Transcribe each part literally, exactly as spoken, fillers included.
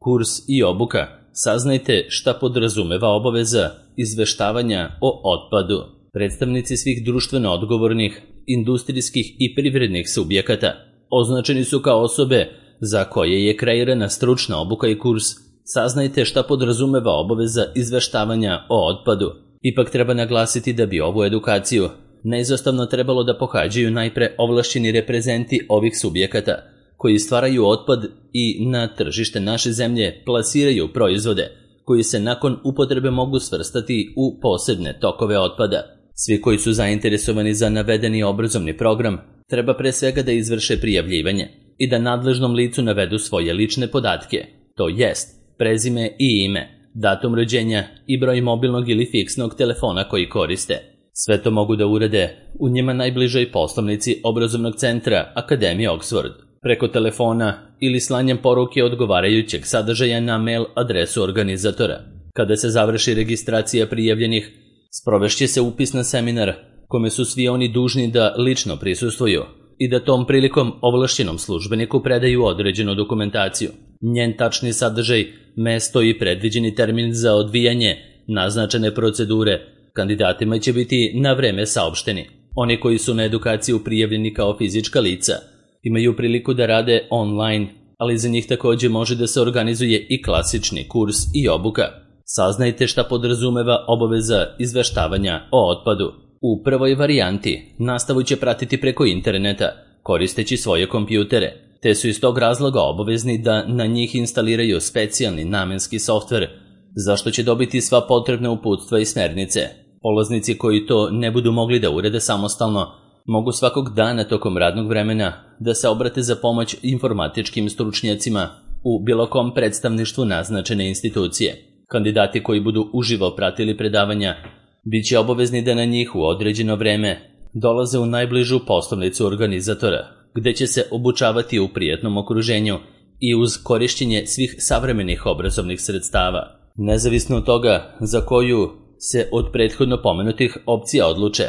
Kurs i obuka. Saznajte šta podrazumeva obaveza izveštavanja o otpadu. Predstavnici svih društveno odgovornih, industrijskih i privrednih subjekata označeni su kao osobe za koje je kreirana stručna obuka i kurs. Saznajte šta podrazumeva obaveza izveštavanja o otpadu. Ipak treba naglasiti da bi ovu edukaciju neizostavno trebalo da pohađaju najpre ovlašćeni reprezenti ovih subjekata koji stvaraju otpad i na tržište naše zemlje plasiraju proizvode koji se nakon upotrebe mogu svrstati u posebne tokove otpada. Svi koji su zainteresovani za navedeni obrazovni program treba pre svega da izvrše prijavljivanje i da nadležnom licu navedu svoje lične podatke, to jest prezime i ime, datum rođenja i broj mobilnog ili fiksnog telefona koji koriste. Sve to mogu da urade u njima najbližoj poslovnici obrazovnog centra Akademije Oxford, preko telefona ili slanjem poruke odgovarajućeg sadržaja na mail adresu organizatora. Kada se završi registracija prijavljenih, sprovešće se upis na seminar kome su svi oni dužni da lično prisustvuju i da tom prilikom ovlašćenom službeniku predaju određenu dokumentaciju. Njen tačni sadržaj, mesto i predviđeni termin za odvijanje naznačene procedure kandidatima će biti na vreme saopšteni. Oni koji su na edukaciju prijavljeni kao fizička lica imaju priliku da rade online, ali za njih takođe može da se organizuje i klasični kurs i obuka. Saznajte šta podrazumeva obaveza izveštavanja o otpadu. U prvoj varijanti nastavu će pratiti preko interneta, koristeći svoje kompjutere, te su iz tog razloga obavezni da na njih instaliraju specijalni namenski softver, za što će dobiti sva potrebna uputstva i smernice. Polaznici koji to ne budu mogli da urede samostalno, mogu svakog dana tokom radnog vremena da se obrate za pomoć informatičkim stručnjacima u bilo kom predstavništvu naznačene institucije. Kandidati koji budu uživo pratili predavanja bit će obavezni da na njih u određeno vreme dolaze u najbližu poslovnicu organizatora, gde će se obučavati u prijatnom okruženju i uz korišćenje svih savremenih obrazovnih sredstava. Nezavisno od toga za koju se od prethodno pomenutih opcija odluče,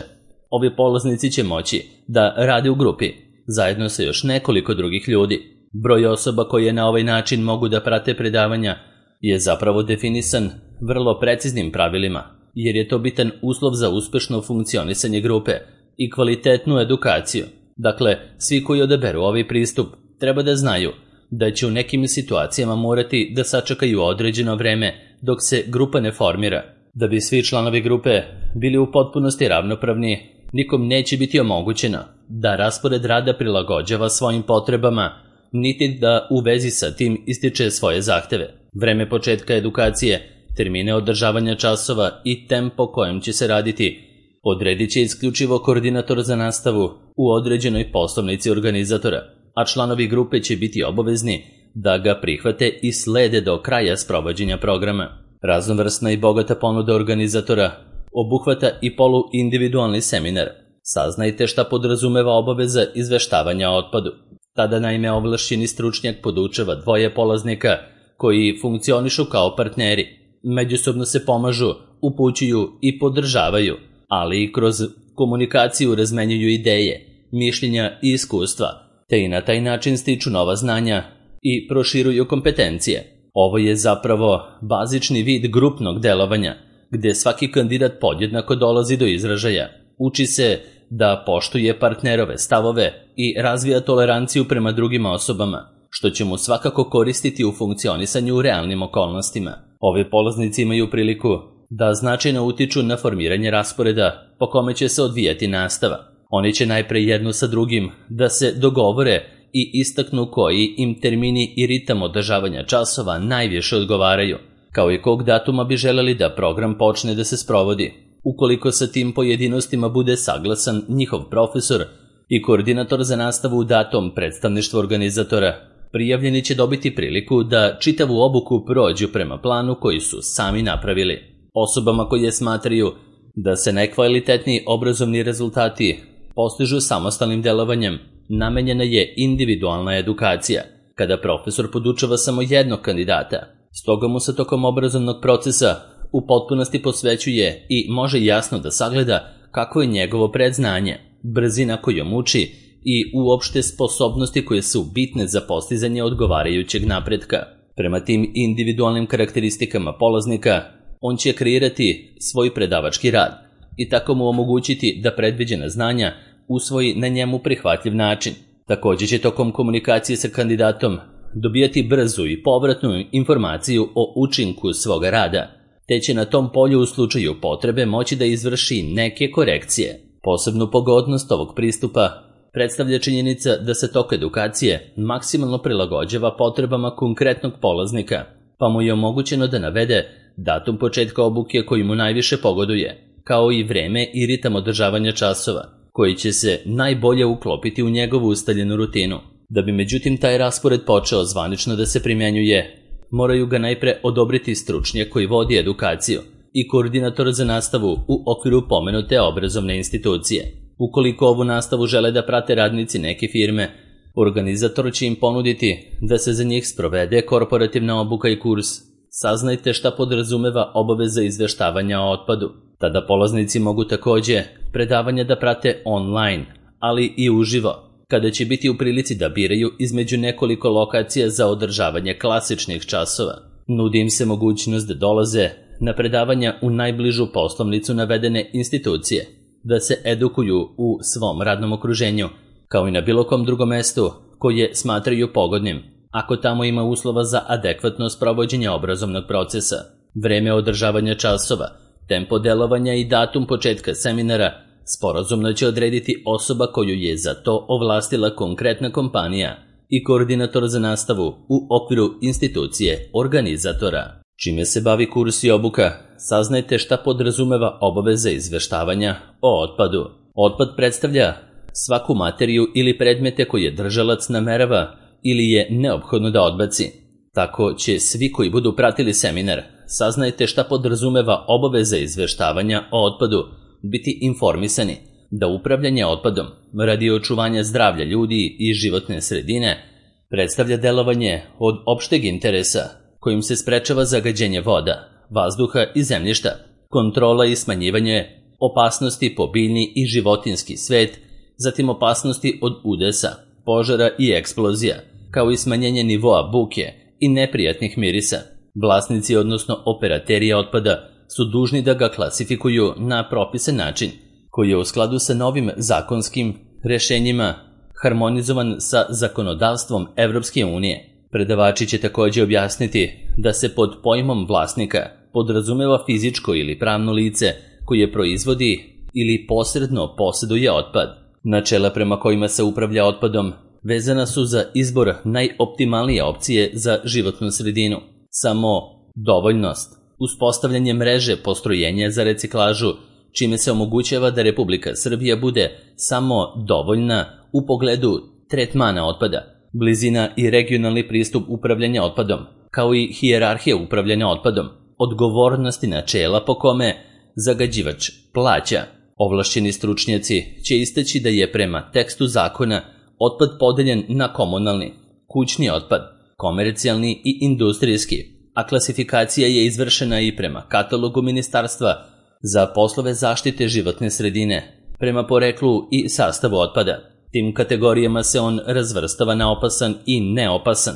ovi polaznici će moći da rade u grupi, zajedno sa još nekoliko drugih ljudi. Broj osoba koje na ovaj način mogu da prate predavanja je zapravo definisan vrlo preciznim pravilima, jer je to bitan uslov za uspešno funkcionisanje grupe i kvalitetnu edukaciju. Dakle, svi koji odaberu ovaj pristup treba da znaju da će u nekim situacijama morati da sačekaju određeno vreme dok se grupa ne formira. Da bi svi članovi grupe bili u potpunosti ravnopravni, nikom neće biti omogućeno da raspored rada prilagođava svojim potrebama, niti da u vezi sa tim ističe svoje zahteve. Vreme početka edukacije, termine održavanja časova i tempo kojim će se raditi odredit će isključivo koordinator za nastavu u određenoj poslovnici organizatora, a članovi grupe će biti obavezni da ga prihvate i slede do kraja sprovođenja programa. Raznovrsna i bogata ponuda organizatora obuhvata i poluindividualni seminar. Saznajte šta podrazumeva obaveza izveštavanja o otpadu. Tada naime ovlašćeni stručnjak podučava dvoje polaznika koji funkcionišu kao partneri. Međusobno se pomažu, upućuju i podržavaju, ali i kroz komunikaciju razmenjuju ideje, mišljenja i iskustva, te i na taj način stiču nova znanja i proširuju kompetencije. Ovo je zapravo bazični vid grupnog delovanja, gde svaki kandidat podjednako dolazi do izražaja. Uči se da poštuje partnerove stavove i razvija toleranciju prema drugim osobama, što će mu svakako koristiti u funkcionisanju u realnim okolnostima. Ovi polaznici imaju priliku da značajno utiču na formiranje rasporeda po kome će se odvijati nastava. Oni će najpre jedno sa drugim da se dogovore i istaknu koji im termini i ritam održavanja časova najviše odgovaraju, kao i kog datuma bi želeli da program počne da se sprovodi. Ukoliko sa tim pojedinostima bude saglasan njihov profesor i koordinator za nastavu u datom predstavništvu organizatora, prijavljeni će dobiti priliku da čitavu obuku prođu prema planu koji su sami napravili. Osobama koje smatraju da se najkvalitetniji obrazovni rezultati postižu samostalnim delovanjem, namenjena je individualna edukacija, kada profesor podučava samo jednog kandidata. Stoga mu se tokom obrazovnog procesa u potpunosti posvećuje i može jasno da sagleda kako je njegovo predznanje, brzina kojom uči i uopšte sposobnosti koje su bitne za postizanje odgovarajućeg napretka. Prema tim individualnim karakteristikama polaznika, on će kreirati svoj predavački rad i tako mu omogućiti da predviđena znanja usvoji na njemu prihvatljiv način. Također će tokom komunikacije sa kandidatom dobijati brzu i povratnu informaciju o učinku svoga rada, te će na tom polju u slučaju potrebe moći da izvrši neke korekcije. Posebnu pogodnost ovog pristupa predstavlja činjenica da se tok edukacije maksimalno prilagođava potrebama konkretnog polaznika, pa mu je omogućeno da navede datum početka obuke koji mu najviše pogoduje, kao i vreme i ritam održavanja časova, koji će se najbolje uklopiti u njegovu ustaljenu rutinu. Da bi međutim taj raspored počeo zvanično da se primjenjuje, moraju ga najpre odobriti stručnjak koji vodi edukaciju i koordinator za nastavu u okviru pomenute obrazovne institucije. Ukoliko ovu nastavu žele da prate radnici neke firme, organizator će im ponuditi da se za njih sprovede korporativna obuka i kurs. Saznajte šta podrazumeva obaveza izveštavanja o otpadu. Tada polaznici mogu također predavanja da prate online, ali i uživo, kada će biti u prilici da biraju između nekoliko lokacija za održavanje klasičnih časova. Nudi im se mogućnost da dolaze na predavanja u najbližu poslovnicu navedene institucije, da se edukuju u svom radnom okruženju, kao i na bilo kom drugom mestu koje smatraju pogodnim, ako tamo ima uslova za adekvatno sprovođenje obrazovnog procesa. Vreme održavanja časova, tempo delovanja i datum početka seminara sporazumno će odrediti osoba koju je za to ovlastila konkretna kompanija i koordinator za nastavu u okviru institucije organizatora. Čime se bavi kurs i obuka, saznajte šta podrazumeva obaveza izveštavanja o otpadu. Otpad predstavlja svaku materiju ili predmete koje držalac namerava ili je neophodno da odbaci. Tako će svi koji budu pratili seminar, saznajte šta podrazumeva obaveza izveštavanja o otpadu, biti informisani da upravljanje otpadom radi očuvanja zdravlja ljudi i životne sredine predstavlja delovanje od opšteg interesa kojim se sprečava zagađenje voda, vazduha i zemljišta, kontrola i smanjivanje opasnosti po biljni i životinski svet, zatim opasnosti od udesa, požara i eksplozija, kao i smanjenje nivoa buke i neprijatnih mirisa. Vlasnici, odnosno operateri otpada, su dužni da ga klasifikuju na propisan način, koji je u skladu sa novim zakonskim rešenjima harmonizovan sa zakonodavstvom Evropske unije. Predavači će također objasniti da se pod pojmom vlasnika podrazumeva fizičko ili pravno lice koje proizvodi ili posredno posjeduje otpad. Načela prema kojima se upravlja otpadom vezana su za izbor najoptimalnije opcije za životnu sredinu, samo dovoljnost, uspostavljanje mreže postrojenja za reciklažu, čime se omogućava da Republika Srbija bude samo dovoljna u pogledu tretmana otpada, blizina i regionalni pristup upravljanja otpadom, kao i hijerarhija upravljanja otpadom, odgovornosti načela po kome zagađivač plaća. Ovlašćeni stručnjaci će istaći da je prema tekstu zakona otpad podeljen na komunalni, kućni otpad, komercijalni i industrijski, a klasifikacija je izvršena i prema katalogu Ministarstva za poslove zaštite životne sredine, prema poreklu i sastavu otpada. Tim kategorijama se on razvrstava na opasan i neopasan,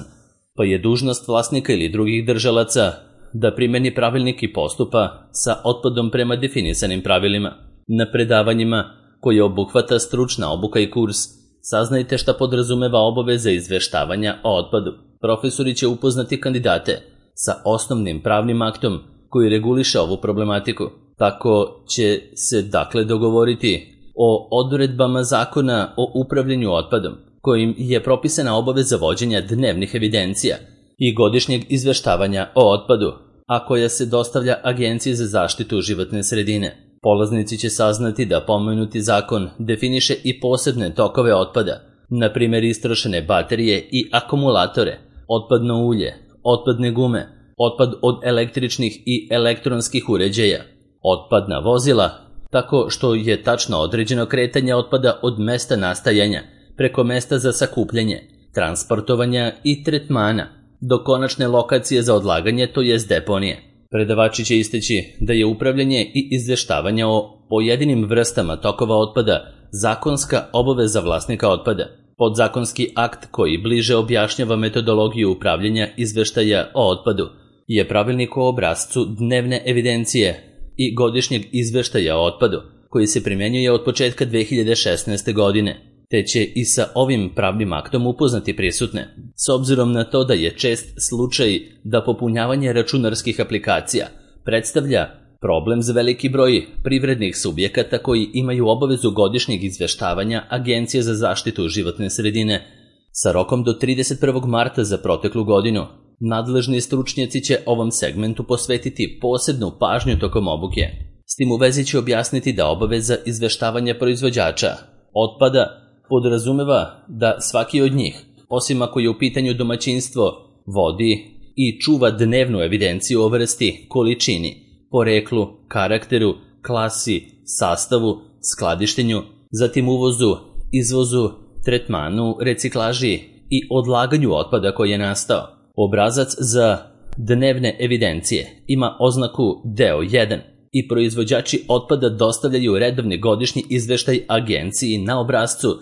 pa je dužnost vlasnika ili drugih držalaca da primeni pravilnik i postupa sa otpadom prema definisanim pravilima. Na predavanjima koje obuhvata stručna obuka i kurs, saznajte šta podrazumeva obaveza izveštavanja o otpadu. Profesori će upoznati kandidate sa osnovnim pravnim aktom koji reguliše ovu problematiku. Tako će se dakle dogovoriti o odredbama zakona o upravljanju otpadom, kojim je propisana obaveza vođenja dnevnih evidencija i godišnjeg izveštavanja o otpadu, a koja se dostavlja Agenciji za zaštitu životne sredine. Polaznici će saznati da pomenuti zakon definiše i posebne tokove otpada, na primjer istrošene baterije i akumulatore, otpadno ulje, otpadne gume, otpad od električnih i elektronskih uređaja, otpadna vozila, tako što je tačno određeno kretanje otpada od mesta nastajanja preko mesta za sakupljanje, transportovanja i tretmana do konačne lokacije za odlaganje, to jest deponije. Predavači će isteći da je upravljanje i izveštavanje o pojedinim vrstama tokova otpada zakonska obaveza vlasnika otpada. Podzakonski akt koji bliže objašnjava metodologiju upravljanja izveštaja o otpadu je pravilnik o obrascu dnevne evidencije i godišnjeg izveštaja o otpadu, koji se primjenjuje od početka dve hiljade šesnaeste. godine, te će i sa ovim pravnim aktom upoznati prisutne, s obzirom na to da je čest slučaj da popunjavanje računarskih aplikacija predstavlja problem za veliki broj privrednih subjekata koji imaju obavezu godišnjeg izveštavanja Agencije za zaštitu životne sredine sa rokom do trideset prvog marta za proteklu godinu. Nadležni stručnjaci će ovom segmentu posvetiti posebnu pažnju tokom obuke. S tim u vezi će objasniti da obaveza izveštavanja proizvođača otpada podrazumeva da svaki od njih, osim ako je u pitanju domaćinstvo, vodi i čuva dnevnu evidenciju o vrsti, količini, poreklu, karakteru, klasi, sastavu, skladištenju, zatim uvozu, izvozu, tretmanu, reciklaži i odlaganju otpada koji je nastao. Obrazac za dnevne evidencije ima oznaku deo jedan i proizvođači otpada dostavljaju redovni godišnji izveštaj agenciji na obrascu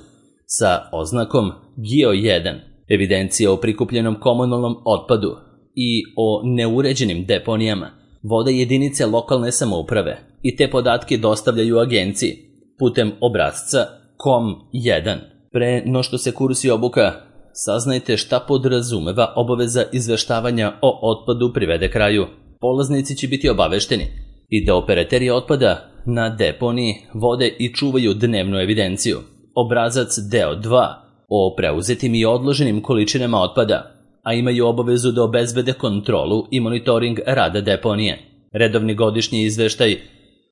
sa oznakom G I O jedan, evidencija o prikupljenom komunalnom otpadu i o neuređenim deponijama vode jedinice lokalne samouprave i te podatke dostavljaju agenciji putem obrasca kom jedan. Pre no što se kursi obuka, saznajte šta podrazumeva obaveza izveštavanja o otpadu privede kraju. Polaznici će biti obavešteni i da operateri otpada na deponiji vode i čuvaju dnevnu evidenciju. Obrazac deo dva o preuzetim i odloženim količinama otpada, a imaju obavezu da obezbede kontrolu i monitoring rada deponije. Redovni godišnji izveštaj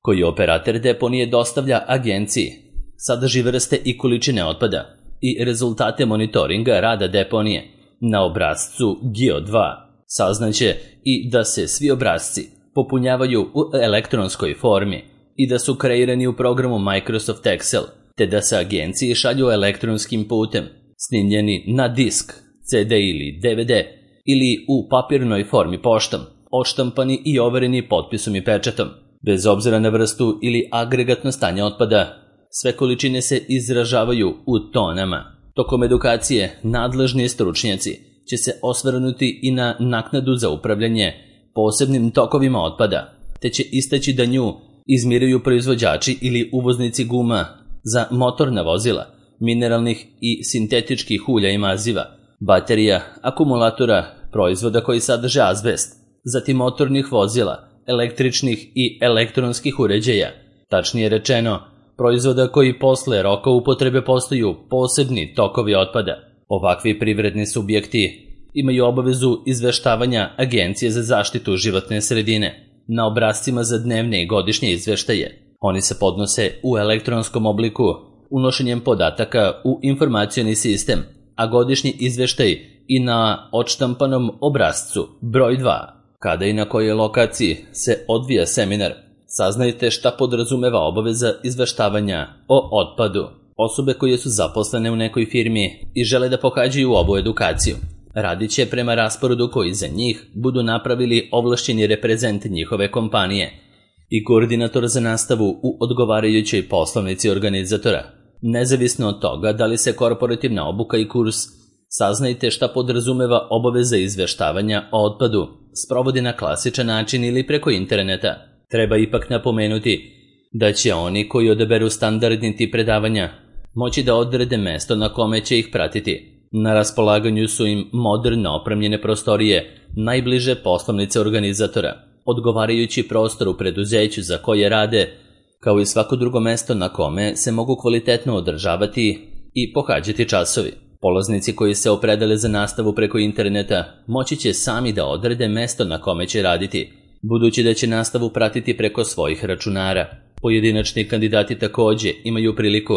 koji operater deponije dostavlja agenciji sadrži vrste i količine otpada i rezultate monitoringa rada deponije. Na obrascu G I O dva saznaće i da se svi obrasci popunjavaju u elektronskoj formi i da su kreirani u programu Microsoft Excel, te da se agenciji šalju elektronskim putem, snimljeni na disk, C D ili D V D ili u papirnoj formi poštom, odštampani i overeni potpisom i pečatom. Bez obzira na vrstu ili agregatno stanje otpada, sve količine se izražavaju u tonama. Tokom edukacije nadležni stručnjaci će se osvrnuti i na naknadu za upravljanje posebnim tokovima otpada, te će istaći da nju izmiruju proizvođači ili uvoznici guma za motorna vozila, mineralnih i sintetičkih ulja i maziva, baterija, akumulatora, proizvoda koji sadrže azbest, zatim motornih vozila, električnih i elektronskih uređaja, tačnije rečeno, proizvoda koji posle roka upotrebe postaju posebni tokovi otpada. Ovakvi privredni subjekti imaju obavezu izveštavanja Agencije za zaštitu životne sredine na obrascima za dnevne i godišnje izveštaje. Oni se podnose u elektronskom obliku unošenjem podataka u informacioni sistem, a godišnji izveštaj i na odštampanom obrascu broj dva. Kada i na kojoj lokaciji se odvija seminar, saznajte šta podrazumeva obaveza izveštavanja o otpadu. Osobe koje su zaposlene u nekoj firmi i žele da pohađaju ovu edukaciju radit će prema rasporedu koji za njih budu napravili ovlašćeni reprezent njihove kompanije i koordinator za nastavu u odgovarajućoj poslovnici organizatora. Nezavisno od toga da li se korporativna obuka i kurs, saznajte šta podrazumeva obaveza izveštavanja o otpadu sprovodi na klasičan način ili preko interneta. Treba ipak napomenuti da će oni koji odaberu standardni tip predavanja moći da odrede mesto na kome će ih pratiti. Na raspolaganju su im moderno opremljene prostorije, najbliže poslovnice organizatora, odgovarajući prostor u preduzeću za koje rade, kao i svako drugo mesto na kome se mogu kvalitetno održavati i pohađati časovi. Polaznici koji se opredele za nastavu preko interneta moći će sami da odrede mesto na kome će raditi, budući da će nastavu pratiti preko svojih računara. Pojedinačni kandidati takođe imaju priliku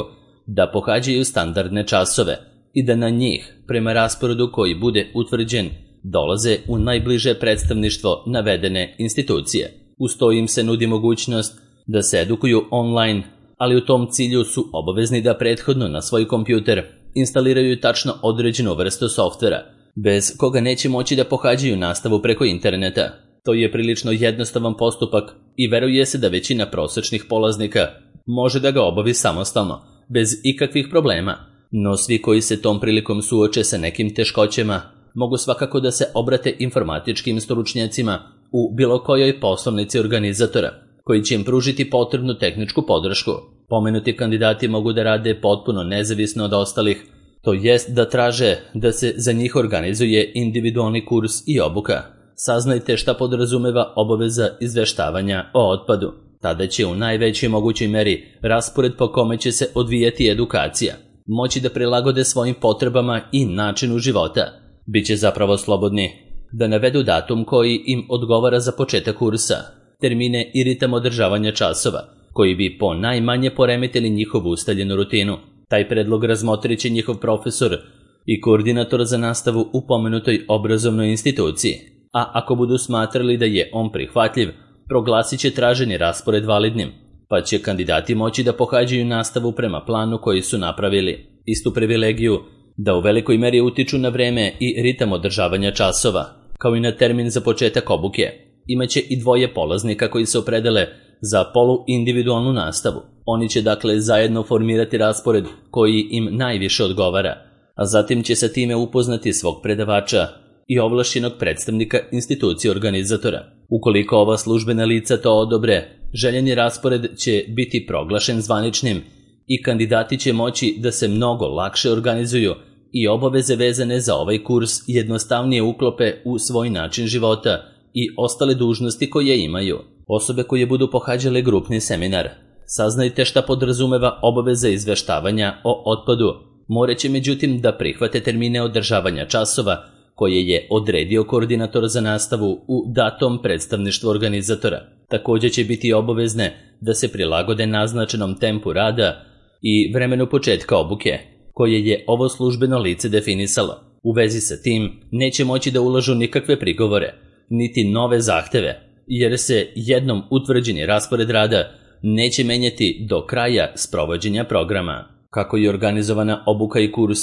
da pohađaju standardne časove i da na njih, prema rasporedu koji bude utvrđen, dolaze u najbliže predstavništvo navedene institucije. Uz to im se nudi mogućnost da se edukuju online, ali u tom cilju su obavezni da prethodno na svoj kompjuter instaliraju tačno određenu vrstu softvera, bez koga neće moći da pohađaju nastavu preko interneta. To je prilično jednostavan postupak i veruje se da većina prosečnih polaznika može da ga obavi samostalno, bez ikakvih problema. No svi koji se tom prilikom suoče sa nekim teškoćama mogu svakako da se obrate informatičkim stručnjacima u bilo kojoj poslovnici organizatora, koji će im pružiti potrebnu tehničku podršku. Pomenuti kandidati mogu da rade potpuno nezavisno od ostalih, to jest da traže da se za njih organizuje individualni kurs i obuka. Saznajte šta podrazumeva obaveza izveštavanja o otpadu. Tada će u najvećoj mogućoj meri raspored po kome će se odvijati edukacija moći da prilagode svojim potrebama i načinu života. Biće zapravo slobodni da navedu datum koji im odgovara za početak kursa, termine i ritam održavanja časova, koji bi po najmanje poremetili njihovu ustaljenu rutinu. Taj predlog razmotrit će njihov profesor i koordinator za nastavu u pomenutoj obrazovnoj instituciji, a ako budu smatrali da je on prihvatljiv, proglasit će traženi raspored validnim, pa će kandidati moći da pohađaju nastavu prema planu koji su napravili. Istu privilegiju da u velikoj meri utiču na vreme i ritam održavanja časova, kao i na termin za početak obuke. Imaće i dvoje polaznika koji se opredele za poluindividualnu nastavu. Oni će dakle zajedno formirati raspored koji im najviše odgovara, a zatim će sa time upoznati svog predavača i ovlašćenog predstavnika institucije organizatora. Ukoliko ova službena lica to odobre, željeni raspored će biti proglašen zvaničnim i kandidati će moći da se mnogo lakše organizuju i obaveze vezane za ovaj kurs jednostavnije uklope u svoj način života i ostale dužnosti koje imaju. Osobe koje budu pohađale grupni seminar, saznajte šta podrazumeva obaveza izveštavanja o otpadu, moraće međutim da prihvate termine održavanja časova koje je odredio koordinator za nastavu u datom predstavništvu organizatora. Također će biti obavezne da se prilagode naznačenom tempu rada i vremenu početka obuke, koje je ovo službeno lice definisalo. U vezi sa tim neće moći da ulažu nikakve prigovore, niti nove zahteve, jer se jednom utvrđeni raspored rada neće menjati do kraja sprovođenja programa. Kako je organizovana obuka i kurs,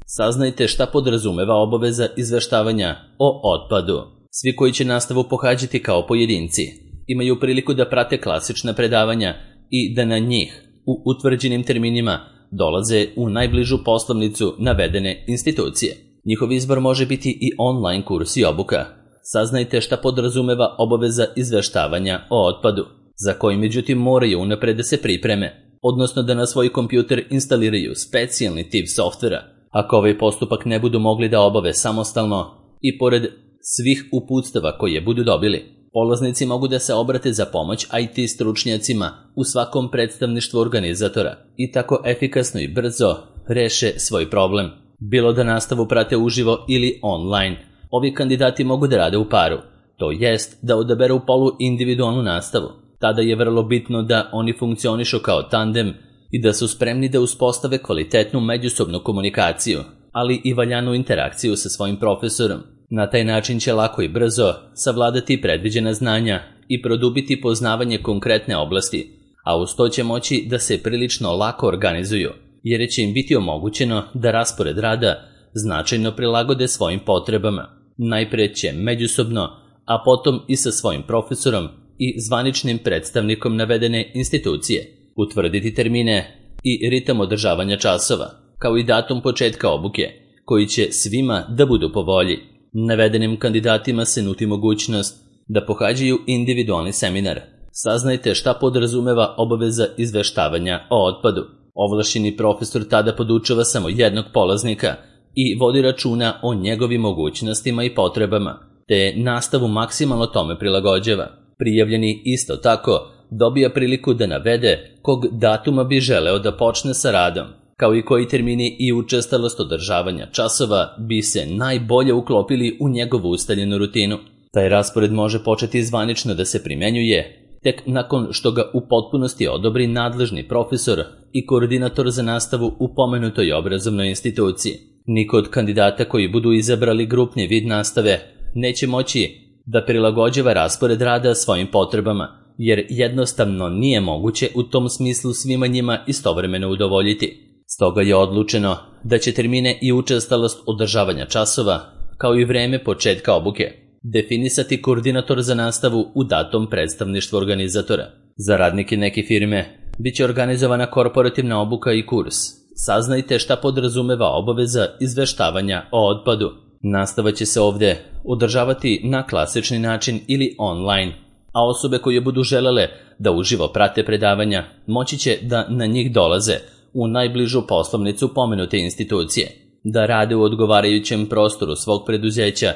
saznajte šta podrazumeva obaveza izveštavanja o otpadu. Svi koji će nastavu pohađati kao pojedinci imaju priliku da prate klasična predavanja i da na njih u utvrđenim terminima dolaze u najbližu poslovnicu navedene institucije. Njihov izbor može biti i online kurs i obuka. Saznajte šta podrazumeva obaveza izveštavanja o otpadu, za koji međutim moraju unapred da se pripreme, odnosno da na svoj kompjuter instaliraju specijalni tip softvera. Ako ovaj postupak ne budu mogli da obave samostalno i pored svih uputstava koje budu dobili, polaznici mogu da se obrate za pomoć I T stručnjacima u svakom predstavništvu organizatora i tako efikasno i brzo reše svoj problem. Bilo da nastavu prate uživo ili online, ovi kandidati mogu da rade u paru, to jest da odaberu poluindividualnu nastavu. Tada je vrlo bitno da oni funkcionišu kao tandem i da su spremni da uspostave kvalitetnu međusobnu komunikaciju, ali i valjanu interakciju sa svojim profesorom. Na taj način će lako i brzo savladati predviđena znanja i produbiti poznavanje konkretne oblasti, a uz to će moći da se prilično lako organizuju, jer će im biti omogućeno da raspored rada značajno prilagode svojim potrebama. Najpre će međusobno, a potom i sa svojim profesorom i zvaničnim predstavnikom navedene institucije utvrditi termine i ritam održavanja časova, kao i datum početka obuke, koji će svima da budu po volji. Navedenim kandidatima se nudi mogućnost da pohađaju individualni seminar. Saznajte šta podrazumeva obaveza izveštavanja o otpadu. Ovlašćeni profesor tada podučava samo jednog polaznika i vodi računa o njegovim mogućnostima i potrebama, te nastavu maksimalno tome prilagođava. Prijavljeni isto tako dobija priliku da navede kog datuma bi želeo da počne sa radom, kao i koji termini i učestalost održavanja časova bi se najbolje uklopili u njegovu ustaljenu rutinu. Taj raspored može početi zvanično da se primenjuje tek nakon što ga u potpunosti odobri nadležni profesor i koordinator za nastavu u pomenutoj obrazovnoj instituciji. Niko od kandidata koji budu izabrali grupni vid nastave neće moći da prilagođava raspored rada svojim potrebama, jer jednostavno nije moguće u tom smislu svima njima istovremeno udovoljiti. Stoga je odlučeno da će termine i učestalost održavanja časova, kao i vreme početka obuke, definisati koordinator za nastavu u datom predstavništvu organizatora. Za radnike neke firme biće organizovana korporativna obuka i kurs Saznajte šta podrazumeva obaveza izveštavanja o otpadu. Nastava će se ovde održavati na klasični način ili online, a osobe koje budu želele da uživo prate predavanja moći će da na njih dolaze u najbližu poslovnicu pomenute institucije, da rade u odgovarajućem prostoru svog preduzeća,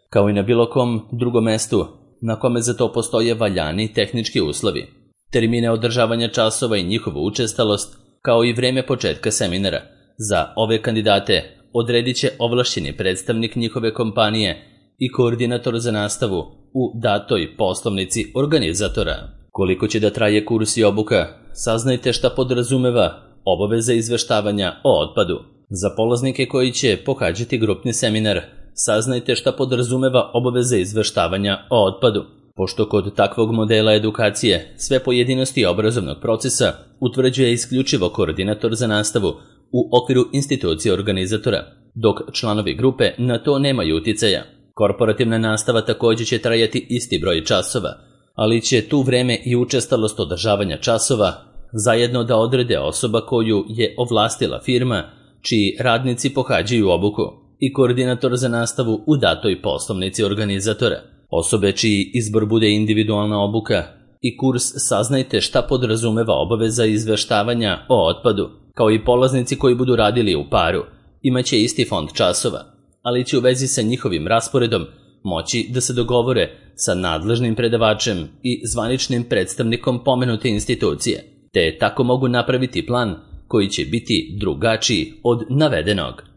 kao i na bilo kom drugom mestu na kome za to postoje valjani tehnički uslovi. Termine održavanja časova i njihovu učestalost, kao i vreme početka seminara, za ove kandidate odredit će ovlašćeni predstavnik njihove kompanije i koordinator za nastavu u datoj poslovnici organizatora. Koliko će da traje kurs i obuka, saznajte šta podrazumeva obaveza izveštavanja o otpadu. Za polaznike koji će pohađati grupni seminar, saznajte šta podrazumeva obaveza izveštavanja o otpadu. Pošto kod takvog modela edukacije sve pojedinosti obrazovnog procesa utvrđuje isključivo koordinator za nastavu u okviru institucije organizatora, dok članovi grupe na to nemaju uticaja. Korporativna nastava također će trajati isti broj časova, ali će tu vreme i učestalost održavanja časova zajedno da odrede osoba koju je ovlastila firma čiji radnici pohađaju obuku i koordinator za nastavu u datoj poslovnici organizatora. Osobe čiji izbor bude individualna obuka i kurs saznajte šta podrazumeva obaveza izveštavanja o otpadu, kao i polaznici koji budu radili u paru, imaće isti fond časova, ali će u vezi sa njihovim rasporedom moći da se dogovore sa nadležnim predavačem i zvaničnim predstavnikom pomenute institucije, te tako mogu napraviti plan koji će biti drugačiji od navedenog.